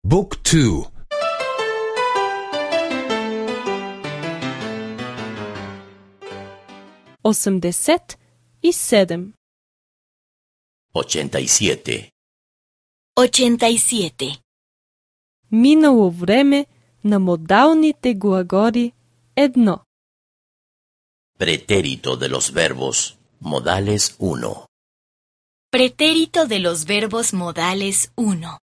Book 2. 87. 87. 87. Минало време на модалните глаголи 1. Pretérito de los verbos modales 1. Pretérito de los verbos modales 1.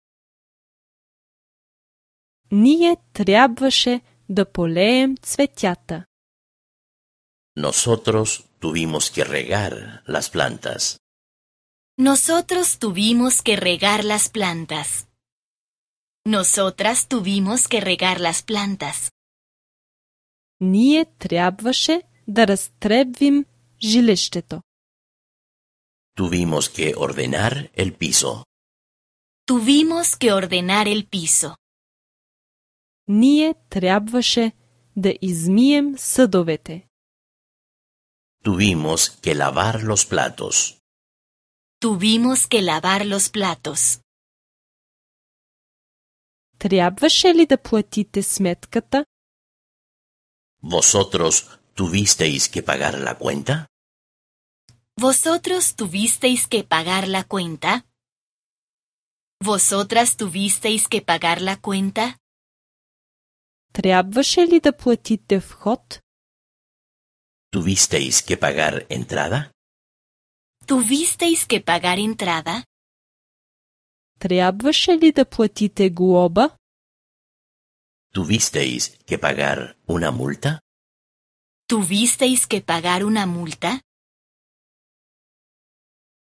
Ние трябваше да полеем цветята. Nosotros tuvimos que regar las plantas. Nosotros tuvimos que regar las plantas. Nosotras tuvimos que regar las plantas. Ние трябваше да разтребвим жилището. Tuvimos que ordenar el piso. Tuvimos que ordenar el piso. Ние трябваше да измием съдовете. Tuvimos que lavar los platos. Tuvimos que lavar los platos. Трябваше ли да платите сметката? ¿Vosotros tuvisteis que pagar la cuenta? ¿Vosotros tuvisteis que pagar la cuenta? ¿Vosotras tuvisteis que pagar la cuenta? Трябваше ли да платите вход? ¿Tuvisteis que pagar entrada? ¿Tuvisteis que pagar entrada? Трябваше ли да платите глоба? ¿Tuvisteis que pagar una multa? ¿Tuvisteis que pagar una multa?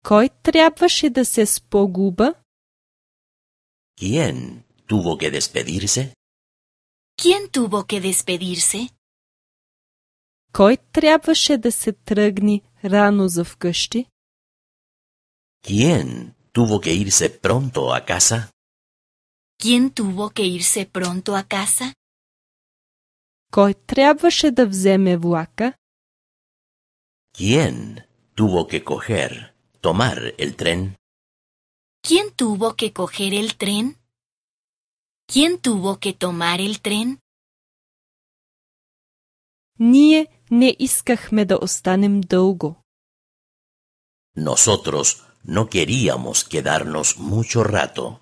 Кой трябваше да се спогуба? ¿Quién tuvo que despedirse? ¿Quién tuvo que despedirse? Кой трябваше да се тръгне рано за вкъщи? ¿Quién tuvo que irse pronto a casa? ¿Quién tuvo que irse pronto a casa? Кой трябваше да вземе влака? ¿Quién tuvo que tomar el tren? ¿Quién tuvo que coger el tren? ¿Quién tuvo que tomar el tren? Ние не искахме да останем дълго. Nosotros no queríamos quedarnos mucho rato.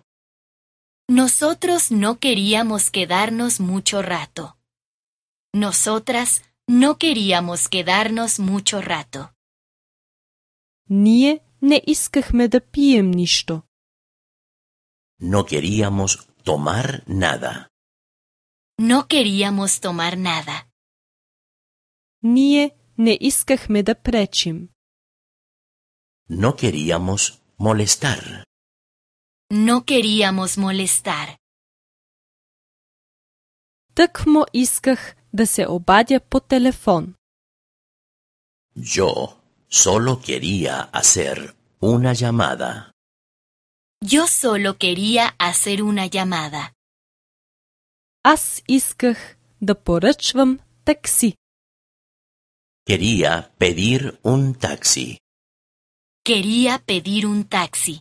Nosotros no queríamos quedarnos mucho rato. Nosotras no queríamos quedarnos mucho rato. Ние не искахме да пием нищо. No queríamos tomar nada. No queríamos tomar nada. Ние не искахме да пречим. No queríamos molestar. No queríamos molestar. Тъкмо исках да се обадя по телефон. Yo solo quería hacer una llamada. Yo solo quería hacer una llamada. Аз исках да поръчвам такси. Quería pedir un taxi. Quería pedir un taxi.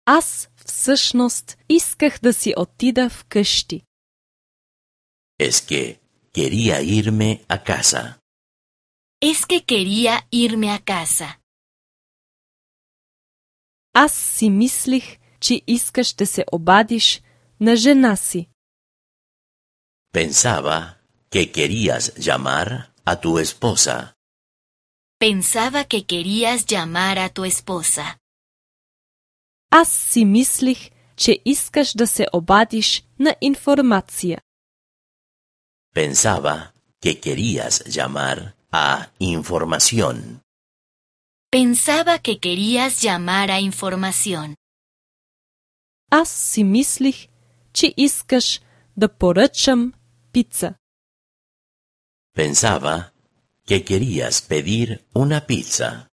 Аз всъщност исках да си отида вкъщи. Es que quería irme a casa. Es que quería irme a casa. Аз си мислих, че искаш да се обадиш на жена си. Pensaba que querías llamar a tu esposa. Pensaba que querías llamar a tu esposa. Аз си мислих, че искаш да се обадиш на информация. Pensaba que querías llamar a información. Pensaba que querías llamar a información. Аз си мислих, че искаш да поръчам пица. Pensaba que querías pedir una pizza.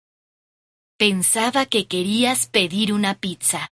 Pensaba que querías pedir una pizza.